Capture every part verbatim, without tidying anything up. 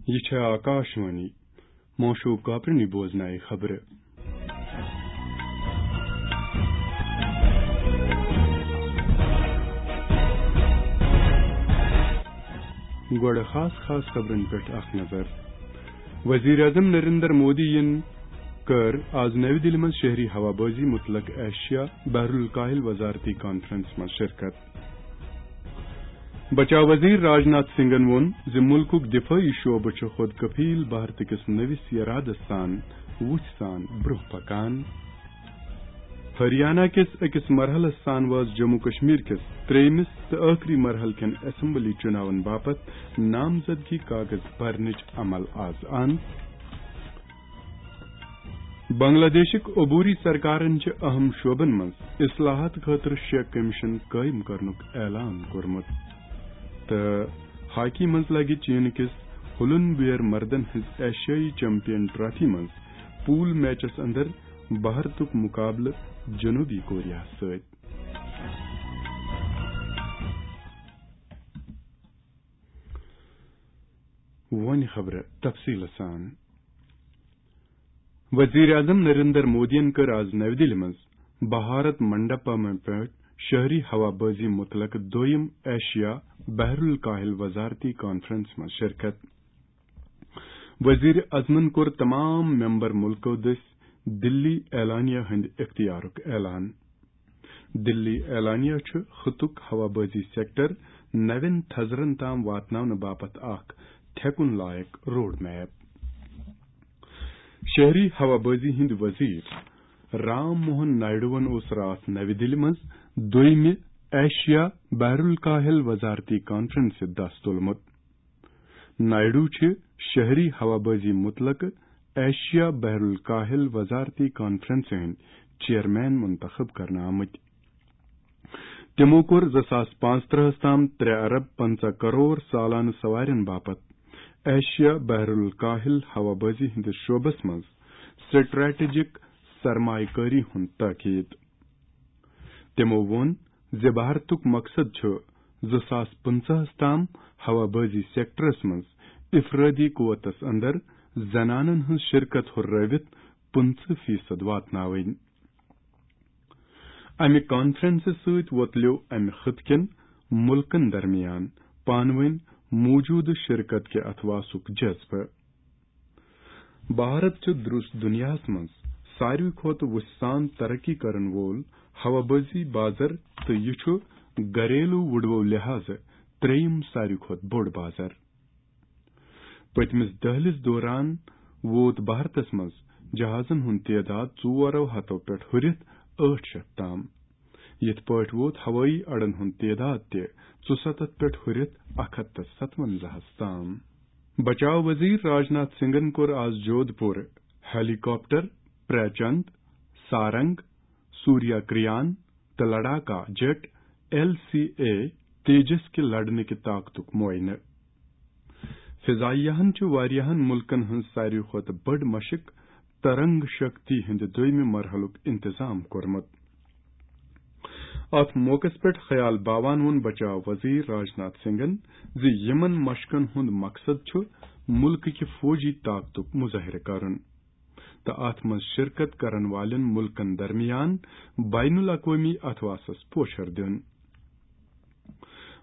یہِ چھےٚ آکاشوانی۔ موشوب کاپرنی بوزنایہِ خبرٕ۔ گۄڈٕ خاص خاص خبرن پٮ۪ٹھ اکھ نظر۔ وزیر اعظم نریندر مودی یَن کٔر آز نَوِ دِلہِ منٛز شہری ہوابازی متعلق ایشیا بحر الکاہل وزارتی کانفرنس منٛز شرکت۔ بچاو وزیر راج ناتھ سنگھن ووٚن زِ مُلکُک دِفٲعی شعبہٕ چھُ خود کفیل بھارت کِس نٔوِس ارادس سان وُژھِ سان برٛونٛہہ پکان۔ ہریانہ کِس أکِس مرحلس سان وٲژ جموں کشمیر کِس ترٛیٚیمِس تہٕ ٲخری مرحلہٕ کٮ۪ن اسمبلی چُناون باپتھ نامزدگی کاغذ بھرنٕچ عمل آز اند۔ بنگلہ دیشٕکۍ عبوری سرکارن چھِ اہم شعبن منٛز اصلاحات خٲطرٕ شےٚ کمیشن قٲیِم کرنُک اعلان کوٚرمُت۔ تہٕ ہاکی منٛز لگہِ چین کِس ہُلن بیر مردن ہٕنٛز ایشیائی چیمپین ٹرافی منٛز پول میچس اندر بھارتُک مقابلہٕ جنوبی کوریا سۭتۍ۔ وۄنۍ خبرٕ تفصیٖلہٕ سان۔ وزیر اعظم نریندر مودیَن کٔر آز نَوِ دِلہِ منٛز بھارت منڈپم پٮ۪ٹھ شہری ہوابازی متعلق دوٚیِم ایشیا بحر الکاہل وزارتی کانفرنس منٛز شرکت۔ وزیر اعظمن کوٚر تمام ممبر ملکو دٔسۍ دِلی اعلانیہ ہٕنٛدِ اختیارُک اعلان۔ دِلی اعلانیہ چھُ خطُک ہوابازی سیکٹر نوٮ۪ن تھزرن تام واتناونہٕ باپتھ اکھ تھٮ۪کُن لایق روڈ میپ۔ شہری ہوابازی ہٕنٛدۍ وزیر رام موہن نائیڈوَن اوس راتھ نَوِ دِلہِ منٛز دوٚیمہِ ایشیا بحر الکاہل وزارتی کانفرنسہِ دَس تُلمُت۔ نائیڈو چھِ شہری ہوابازی متعلق ایشیا بحر الکاہل وزارتی کانفرنسہِ ہٕنٛدۍ چیئرمین منتخب کرنہٕ آمٕتۍ۔ تِمو کوٚر زٕ ساس پانٛژترٕہَس تام ترٛےٚ ارب پنٛژاہ کرور سالانہٕ سوارٮ۪ن باپتھ ایشیا بحر الکاہل ہوابازی ہٕنٛدِس شعبس منٛز سٹریٹجک سرمایہ کٲری ہُنٛد تاکید۔ تِمو ووٚن زِ بھارتُک مقصد چھُ زٕ ساس پٕنٛژٕہَس تام ہوابازی سیکٹرس منٛز افرادی قوتس اندر زنانن ہٕنٛز شرکت ہُررٲوِتھ پٕنٛژٕہ فیصد واتناوٕنۍ۔ امہِ کانفرنسہٕ سۭتۍ وۄتلیو امہِ خطہٕ کٮ۪ن مُلکن درمیان پانہٕ وٲنۍ موجودٕ شرکت کہِ اتھواسُک جذبہٕ۔ بھارت چھُ درُس دُنیاہَس منٛز ساروی کھۄتہٕ وُژھِ سان ترقی کرن وول ہوابازی بازر تہٕ یہِ چھُ گھریلو وُڈوو لحاظہٕ ترٛیٚیِم ساروی کھۄتہٕ بوٚڑ بازر۔ پٔتمِس دٔہلِس دوران ووت بھارتس منٛز جہازن ہُنٛد تعداد ژورو ہتو پٮ۪ٹھ ہُرِتھ ٲٹھ شیٚتھ تام۔ یِتھ پٲٹھۍ ووت ہوٲیی اڈن ہُنٛد تعداد تہِ ژُسَتتھ پٮ۪ٹھ ہُرِتھ اکھ ہتھ تہٕ ستوَنزاہَس تام۔ بچاو وزیر راج ناتھ سنگھن کوٚر آز جودھ پور ہیلی کاپٹر، پریچند، سارنگ، سوریا کریان تہٕ لڑاکا jet, L C A, Tejas کہِ لڑنہٕ کہِ طاقتُک معائنہٕ۔ فضائیہَن چھُ واریاہَن مُلکَن ہٕنٛز ساروی کھۄتہٕ بٔڑ مشق ترنگ شکتی ہٕنٛدِ دوٚیمہِ مرحلُک انتظام کوٚرمُت۔ اتھ موقعس پٮ۪ٹھ خیال باوان ووٚن بچاو وزیر راج ناتھ سنگھن زِ یِمَن مشقَن ہُنٛد مقصد چھُ مُلکہٕ کہِ فوجی طاقتُک مظٲہرٕ کرُن تہٕ اتھ منٛز شرکت کرن والٮ۪ن مُلکَن درمیان بین الاقوٲمی اتھواسَس پوچھر دیُن۔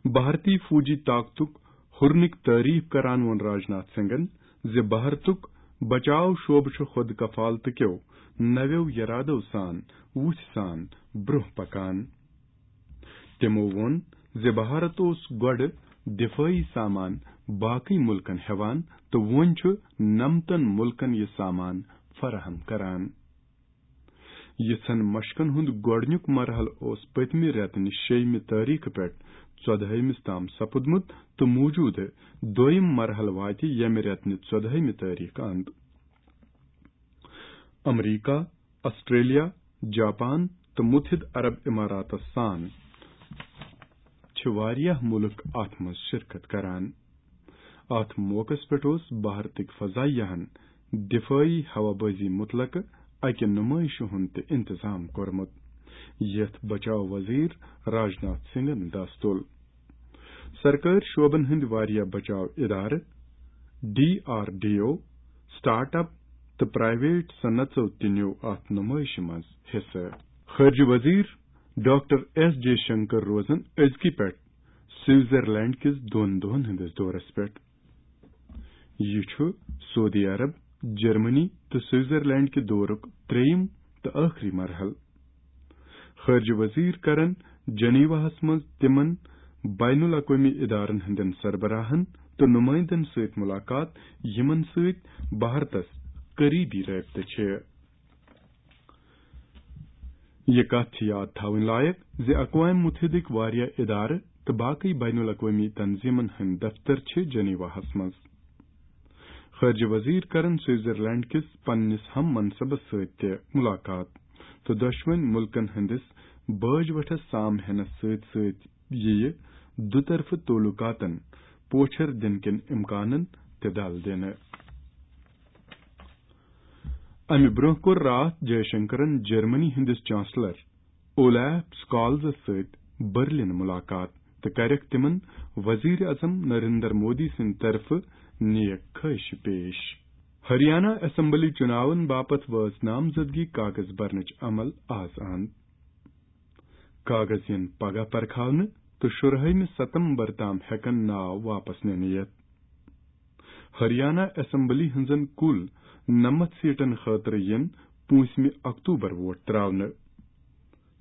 بھارتی فوجی طاقتُک ہُرنٕکۍ تعریف کران ووٚن راج ناتھ سنگھن زِ بھارتُک بچاو شعبہٕ چھُ خود کفالتہٕ کیو نویو یرادو سان وُژھِ سان برٛونٛہہ پکان۔ تِمو ووٚن زِ بھارت اوس گۄڈٕ دِفٲعی سامان باقٕے مُلکَن ہٮ۪وان تہٕ وۄنۍ چھُ نَمتَن مُلکَن یہِ سامان فراہم کران۔ یِژھن مشقن ہُنٛد گۄڈٕنیُک مرحلہٕ اوس پٔتمہِ رٮ۪تہٕ نِش شیٚیِمہِ تٲریخہٕ پٮ۪ٹھ ژۄدہٲیمِس تام سپُدمُت تہٕ موٗجوٗدٕ دوٚیِم مرحلہٕ واتہِ ییٚمہِ رٮ۪تہٕ نہِ ژۄدہٲیمہِ تٲریخہٕ اند۔ امریکہ، آسٹریلیا، جاپان تہٕ متحدٕ عرب اماراتس سان چھِ واریاہ مُلک اتھ منٛز شرکت کران۔ اتھ موقعس پٮ۪ٹھ اوس بھارتٕکۍ فضائیہَن دفٲعی ہوابازی متعلقہٕ اکہِ نمائشہِ ہُنٛد تہِ انتظام کوٚرمُت، یتھ بچاو وزیر راج ناتھ سنگھن دس تُل۔ سرکٲرۍ شعبن ہٕنٛدۍ واریاہ بچاو ادارٕ، D R D O, start up تہٕ پرائیویٹ صنعژو تہِ نیوٗ اتھ نمٲیشہِ منٛز حصہٕ۔ خارجہ وزیر ڈاکٹر ایس جے شنکر روزن أزکہِ پٮ۪ٹھ سوئٹزرلینڈ کِس دۄن دۄہن ہٕنٛدِس دورس پٮ۪ٹھ۔ یہِ چھُ سعودی عرب، جرمنی تہٕ سوئٹزرلینڈ کہِ دورُک ترٛیٚیِم تہٕ ٲخری مرحلہٕ۔ خارجہ وزیر کرن جنیواہس منٛز تِمن بین الاقوٲمی ادارن ہٕنٛدٮ۪ن سربراہن تہٕ نمائندن سۭتۍ ملاقات، یِمن سۭتۍ بھارتس قریبی رٲبطہٕ چھِ۔ یہِ کتھ چھِ یاد تھاوٕنۍ لایق زِ اقوام متحدٕکۍ واریاہ ادارٕ تہٕ باقٕے بین الاقوٲمی تنظیمن ہٕنٛدۍ دفتر چھِ جنیواہس منٛز۔ خارجہ وزیر کرن سوئٹزرلینڈ کِس پننِس ہم منصبس سۭتۍ تہِ ملاقات تہٕ دۄشوٕنۍ مُلکن ہٕنٛدِس باج وٹھس سام ہینس سۭتۍ سۭتۍ یِیہِ دُطرفہٕ تعلقاتن پوچھر دِنہٕ کٮ۪ن امکانن تہِ دل دِنہٕ۔ امہِ برونٛہہ کوٚر راتھ جے شنکرن جرمنی ہٕنٛدِس چانسلر اولیف سکالزس سۭتۍ برلن ملاقات تہٕ کرکھ تِمن وزیر اعظم نریندر مودی سٕنٛدِ طرفہٕ نیک خواہشہِ پیش۔ ہریانہ اسمبلی چُناون باپتھ وٲژ نامزدگی کاغذ برنٕچ عمل آز اند۔ کاغذ یِن پگاہ پرکھاونہٕ تہٕ شُرہٲیمہِ ستمبر تام ہٮ۪کن ناو واپس نِنہٕ یِتھ۔ ہریانہ اسمبلی ہٕنٛزن کُل نَمَتھ سیٹن خٲطرٕ یِن پوٗنٛژمہِ اکتوبر ووٹ تراونہٕ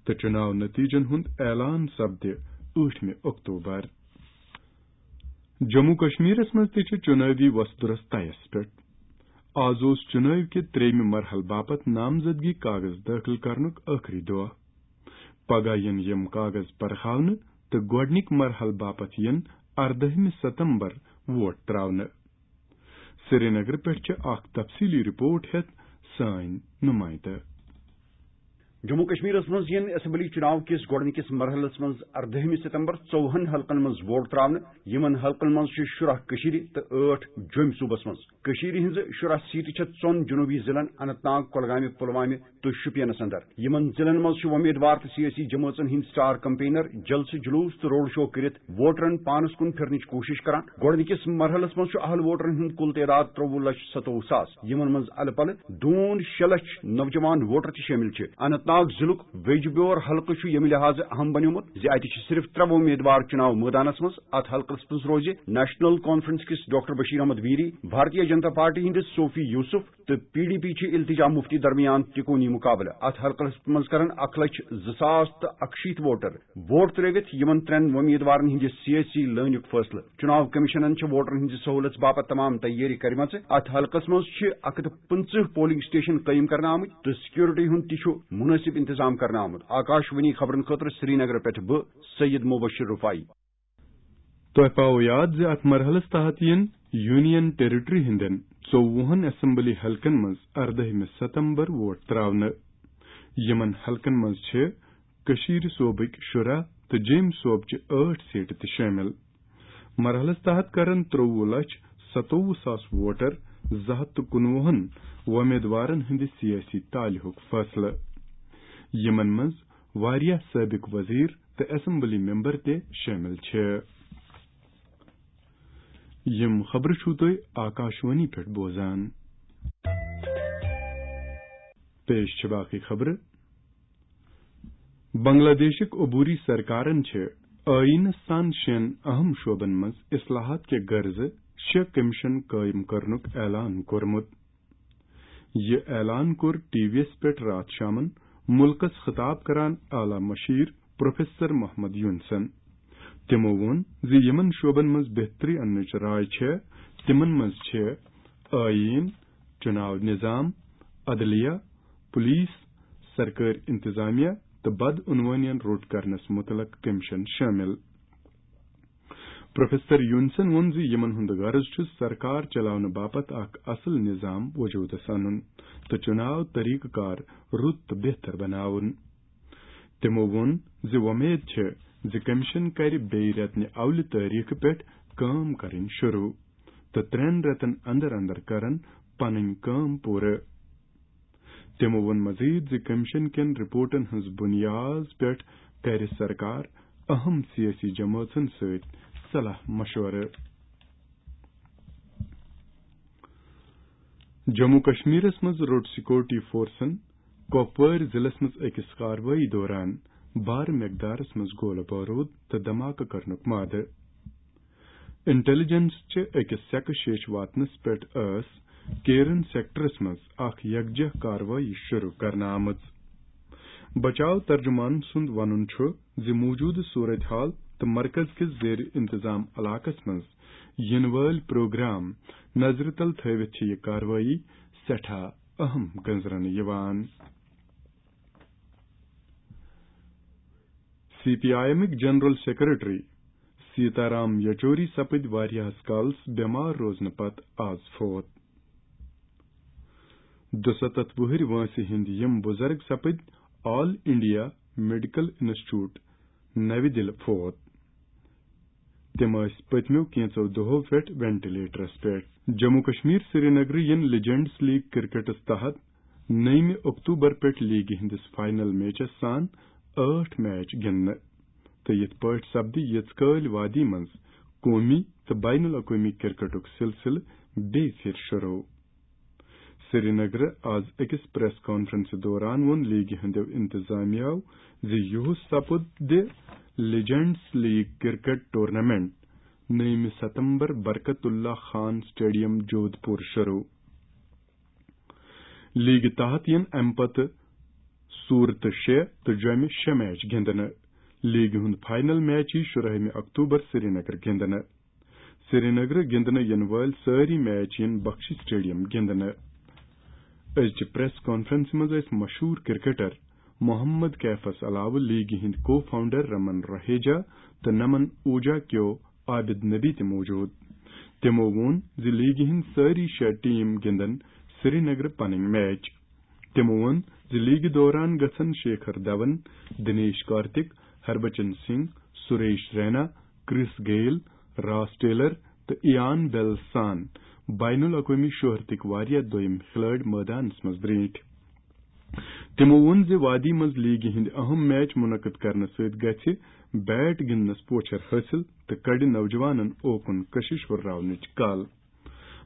تہٕ چُناو نتیجن ہُنٛد اعلان سپدِ ٲٹھمہِ اکتوبر۔ جموں کشمیرس منٛز تہِ چھِ چُنٲوی وۄستہٕ درست طیس پٮ۪ٹھ۔ آز اوس چُنٲوۍ کہِ ترٛیٚیمہِ مرحلہٕ باپتھ نامزدگی کاغذ دٲخل کرنُک ٲخری دۄہ۔ پگاہ یِن یِم کاغذ پرکھاونہٕ تہٕ گۄڈٕنِکۍ مرحلہٕ باپتھ یِن اردٲہمہِ ستمبر ووٹ تراونہٕ۔ سرینگرٕ پٮ۪ٹھ چھِ اکھ تفصیلی رپورٹ ہٮ۪تھ سٲنۍ نمائندٕ۔ جموں کشمیرس منٛز یِن اسمبلی چُناو کِس گۄڈٕنِکِس مرحلس منٛز اردٲہمہِ ستمبر ژوٚوُہن حلقن منٛز ووٹ تراونہٕ۔ یِمن حلقن منٛز چھِ شُراہ کٔشیٖرِ تہٕ ٲٹھ جوٚمۍ صوٗبس منٛز۔ کٔشیٖرِ ہٕنٛزٕ شُراہ سیٹہٕ چھےٚ ژۄن جنوٗبی ضلعن اننت ناگ، کۄلگامہِ، پلوامہِ تہٕ شوپینس اندر۔ یِمن ضلعن منٛز چھِ وۄمیدوار تہٕ سیٲسی جمٲژن ہٕنٛدۍ سٹار کمپینر جلسہٕ جلوس تہٕ روڈ شو کٔرِتھ ووٹرن پانس کُن پھِرنٕچ کوٗشش کران۔ گۄڈٕنِکِس مرحلس منٛز چھُ اہل ووٹرن ہُنٛد کُل تعداد ترٛوٚوُہ لچھ ستووُہ ساس، یِمن منٛز الہٕ پلہٕ دوٗن شےٚ لچھ نوجوان ووٹر تہِ شٲمِل چھِ۔ اننت ناگ ضلعُک ویجبیور حلقہٕ چھُ ییٚمہِ لحاظہٕ اہم بنیومُت زِ اتہِ چھِ صرف ترٛےٚ وۄمیدوار چُناو مٲدانس منٛز۔ اتھ حلقس منٛز روزِ نیشنل کانفرنس کِس ڈاکٹر بشیر احمد ویری، بھارتیہ جنتا پارٹی ہٕنٛدِس صوفی یوسف تہٕ پی ڈی پی چھِ التجا مفتی درمیان تِکونی مقابلہٕ۔ اتھ حلقس منٛز کرن اکھ لچھ زٕ ساس تہٕ اکشیٖتھ ووٹر ووٹ ترٲوِتھ یِمن ترٛٮ۪ن وۄمیدوارن ہٕنٛدِ سیٲسی لٲنُک فٲصلہٕ۔ چُناو کمیشنن چھِ ووٹرن ہٕنٛزِ سہوٗلژ باپتھ تمام تیٲری کرِمژٕ۔ اتھ حلقس منٛز چھِ اکھ ہتھ پٕنٛژٕہ پولنگ سٹیشن قٲیِم کرنہٕ آمٕتۍ تہٕ سکیورٹی ہُنٛد تہِ چھُ مُنٲسِب انتظام کرنہٕ آمُت۔ آکاش وانی خبرن خٲطرٕ سرینگرٕ پٮ۪ٹھ بہٕ، سید مبشر رفاعی۔ تۄہہِ پاوو یاد زِ اتھ مرحلس تحت یِن یونین ٹیریٹری ہٕنٛدٮ۪ن ژوٚوُہن اسمبلی حلقن منٛز اردٲہمہِ ستمبر ووٹ تراونہٕ۔ یِمن حلقن منٛز چھِ کٔشیٖرِ صوبٕکۍ شُراہ تہٕ جیٚمۍ صوبچہِ ٲٹھ سیٹہٕ تہِ شٲمِل۔ مرحلس تحت کرن ترٛوٚوُہ لچھ ستووُہ ساس ووٹر زٕ ہتھ تہٕ کُنوُہن وۄمیدوارن ہٕنٛدِ سیٲسی تالہِ ہُک فٲصلہٕ، یِمن منٛز واریاہ سٲبق وزیر تہٕ اسمبلی ممبر تہِ شٲمِل چھِ۔ یِم خبرٕ چھِو تُہۍ آکاشوانی پٮ۪ٹھ بوزان۔ پیش چھِ باقٕے خبرٕ۔ بنگلہ دیشٕکۍ عبوری سرکارن چھِ ٲیٖنس سان شٮ۪ن اہم شعبن منٛز اصلاحات کہِ غرضہٕ شےٚ کمیشن قٲیِم کرنُک اعلان کوٚرمُت۔ یہِ اعلان کوٚر ٹی وی یَس پٮ۪ٹھ راتھ شامَن مُلکَس خطاب کران اعلیٰ مشیر پروفیسر محمد یونسن۔ تِمَو ووٚن زِ یِمَن شعبَن منٛز بہتری اَننٕچ راے چھےٚ، تِمَن منٛز چھِ ٲیٖن، چُناو نظام، عدلیہ، پولیس، سرکٲرۍ انتظامیہ تہٕ بدعنوانین روٚٹ کرنس متعلق کمیشن شٲمِل۔ پروفیسر یونسن ووٚن زِ یِمن ہُنٛد غرض چھُ سرکار چلاونہٕ باپتھ اکھ اصل نظام وجودس انُن تہٕ چُناو طریقہٕ کار رُت تہٕ بہتر بناوُن۔ تِمَو ووٚن زِ وۄمید چھِ زِ کمیشن کرِ بیٚیہِ رٮ۪تہٕ نہِ اولہِ تٲریخہٕ پٮ۪ٹھ کٲم کرٕنۍ شروع تہٕ ترٛٮ۪ن رٮ۪تن اندر اندر کرن پنٕنۍ کٲم پوٗرٕ۔ تِمَو ووٚن مزید زِ کمیشن کٮ۪ن رپورٹن ہٕنٛز بنیاد پٮ۪ٹھ کرِ سرکار اہم سیٲسی جمٲژن سۭتۍ صلاح مشورٕ۔ جموں کشمیرس منٛز روٚٹ سیکورٹی فورسن کۄپوٲرۍ ضلعس منٛز أکِس کاروٲیی دوران بارٕ مقدارس منٛز گولہٕ بارود تہٕ دھماکہٕ کرنُک مادٕ۔ انٹیلیجنس چہِ أکِس سیکہٕ شیش واتنس پٮ۪ٹھ ٲس کیرن سیکٹرس منٛز اکھ یکجہ کاروٲیی شروع کرنہٕ آمٕژ۔ بچاو ترجمان سُنٛد ونُن چھُ زِ موجودٕ صورتحال تہٕ مرکز کِس زیر انتظام علاقس منٛز یِنہٕ وٲلۍ پروگرام نظرِ تل تھٲوِتھ چھِ یہِ کاروٲیی سٮ۪ٹھاہ اہم گٔنزرنہٕ یِوان۔ سی پی آئی ایمٕکۍ جنرل سیکرٹری سیتارام یچوری سپٕدۍ واریاہس کالس بٮ۪مار روزنہٕ پتہٕ آز فوت۔ دُسَتتھ وُہٕرۍ وٲنٛسہِ ہٕنٛدۍ یِم بُزرگ سپٕدۍ آل انڈیا میڈیکل انسٹیٹیوٹ نَوِ دِلہِ فوت۔ تِم ٲسۍ پٔتمیو کینٛژو دۄہو پٮ۪ٹھ وینٹیلیٹرس پٮ۪ٹھ۔ جموں کشمیر سرینگرٕ یِن لیجنڈز لیگ کرکٹس تحت نٔیمہِ اکتوبر پٮ۪ٹھ لیگہِ ہٕنٛدِس فائنل میچس سان ٲٹھ میچ گِنٛدنہٕ تہٕ یِتھ پٲٹھۍ سپدِ یِژھ کٲلۍ وادی منٛز قومی تہٕ بین الاقوٲمی کرکٹُک سلسلہٕ بیٚیہِ پھِرِ شروع۔ سرینگرٕ آز أکِس پریس کانفرنسہِ دوران ووٚن لیگہِ ہٕنٛدیو انتظامیہ زِ یُہُس سپُد دِ لیجنڈز لیگ کرکٹ ٹورنامنٹ نٔیمہِ ستمبر برکت اللہ خان سٹیڈیم جودھ پور شروع۔ لیگہِ تحت یِن امہِ پتہٕ صورتہٕ شےٚ تہٕ جۄمہِ شےٚ میچ گِنٛدنہٕ۔ لیگہِ ہُنٛد فائنل میچ یی شُراہمہِ اکتوبر سرینگر گِنٛدنہٕ۔ سرینگرٕ گِنٛدنہٕ یِنہٕ وٲلۍ سٲری میچ یِن بخشی سٹیڈیم گِنٛدنہٕ۔ أزچہِ پریس کانفرنسہِ منٛز ٲسۍ مشہوٗر کرکٹر محمد کیفس علاوٕ لیگہِ ہٕنٛدۍ کو فاؤنڈر رمن رہیجا تہٕ نمن اوجا کیو عابد نبی تہِ موجود۔ تِمو ووٚن زِ لیگہِ ہٕنٛدۍ سٲری شےٚ ٹیم گِنٛدن سرینگرٕ پنٕنۍ میچ۔ تِمو ووٚن زِ لیگہِ دوران گژھن شیکھر دھون، دنیش کارتک، ہربچن سنگھ، سریش رینا، کرس گیل، راس ٹیلر تہٕ ایان بیل سان بین الاقوٲمی شہرتٕکۍ واریاہ دوٚیم کھلٲڑۍ مٲدانس منٛز برٛونٛٹھ۔ تِمو ووٚن زِ وادی منٛز لیگہِ ہٕنٛدۍ اہم میچ منعقد کرنہٕ سۭتۍ گژھِ بیٹ گِنٛدنس پوچھر حٲصِل تہٕ کڑِ نوجوانن اوکُن کشش ہُرراونٕچ کل۔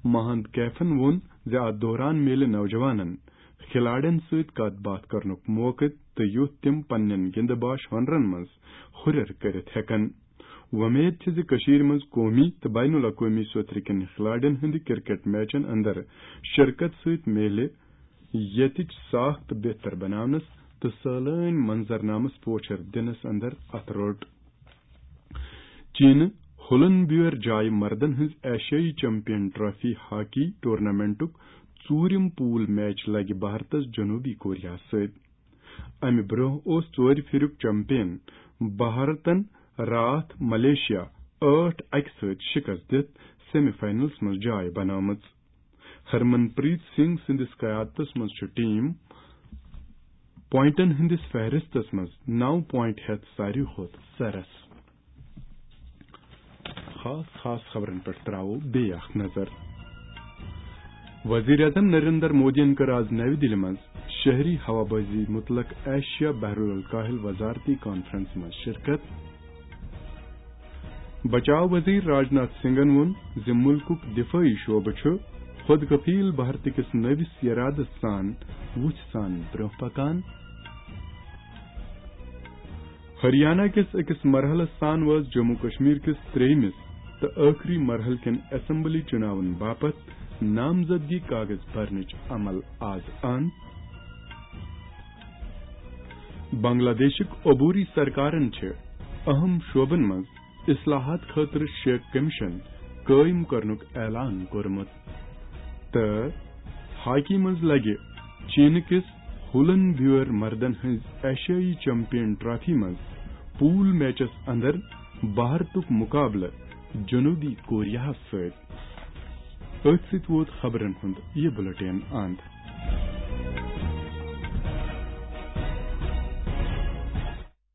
مہند کیفن ووٚن زِ اتھ دوران میلہِ نوجوانن کھلاڑٮ۪ن سۭتۍ کتھ باتھ کرنُک موقعہٕ تہٕ یُتھ تِم پننٮ۪ن گِنٛدٕ باش ہُنرن منٛز ہُرٮ۪ر کٔرِتھ ہٮ۪کن۔ وۄمید چھِ زِ کٔشیٖرِ منٛز قومی تہٕ بین الاقوٲمی سوترٕ کٮ۪ن کھلاڑٮ۪ن ہٕنٛدِ کرکٹ میچن اندر شرکت سۭتۍ میلہِ ییٚتِچ ساکھ تہٕ بہتر بناونس تہٕ سٲلٲنۍ منظرنامس پوچھر دِنس اندر اتھٕ روٚٹ۔ چینہٕ ہولن بیور جایہِ مردن ہٕنٛز ایشیائی چیمپین ٹرافی ہاکی ٹورنامنٹُک ژوٗرِم پول میچ لگہِ بھارتس جنوبی کوریاہس سۭتۍ۔ امہِ برونٛہہ اوس ژورِ پھِریُک چیمپین بھارتن راتھ ملیشیا ٲٹھ اَکہِ سۭتۍ شِکست دِتھ سیمی فائنلس منٛز جاے بنٲومٕژ۔ ہرمن پریت سنگھ سٕنٛدِس قیادتس منٛز چھُ ٹیم پوائنٹن ہٕنٛدِس فہرستس منٛز نو پوائنٹ ہٮ۪تھ ساروی کھۄتہٕ سرس۔ خاص خاص خبرن پٮ۪ٹھ تراوو بیٚیہِ اکھ نظر۔ وزیر اعظم نریندر مودیَن کٔر آز نَوِ دِلہِ منٛز شہری ہوابازی متعلق ایشیا بحرالکاہل وزارتی کانفرنس منٛز شرکت۔ بچاو وزیر راجناتھ سنگھن ووٚن زِ مُلکُک دفٲعی شعبہٕ چھُ خود کفیل بھارت کِس نٔوِس ارادس سان وُژھ سان برونٛہہ پکان۔ ہریانہ کِس أکِس مرحلس تام وٲژ جموں کشمیر کِس ترٛیٚیمِس تہٕ ٲخری مرحلہٕ کٮ۪ن اسمبلی چُناون باپتھ نامزدگی کاغذ بھرنٕچ عمل آز اند۔ بنگلہ دیشٕک عبوری سرکارن چھِ اہم شعبن منٛز اصلاحات خٲطرٕ شیخ کمیشن قٲیِم کرنُک اعلان کوٚرمُت۔ تہٕ ہاکی منٛز لگہِ چینہٕ کِس ہولن بیور مردن ہٕنٛز ایشیائی چیمپین ٹرافی منٛز پول میچس اندر بھارتُک مقابلہٕ جنوبی کوریاہس سۭتۍ۔ أتھۍ سۭتۍ ووت خبرن ہُنٛد یہِ بُلٹن اند۔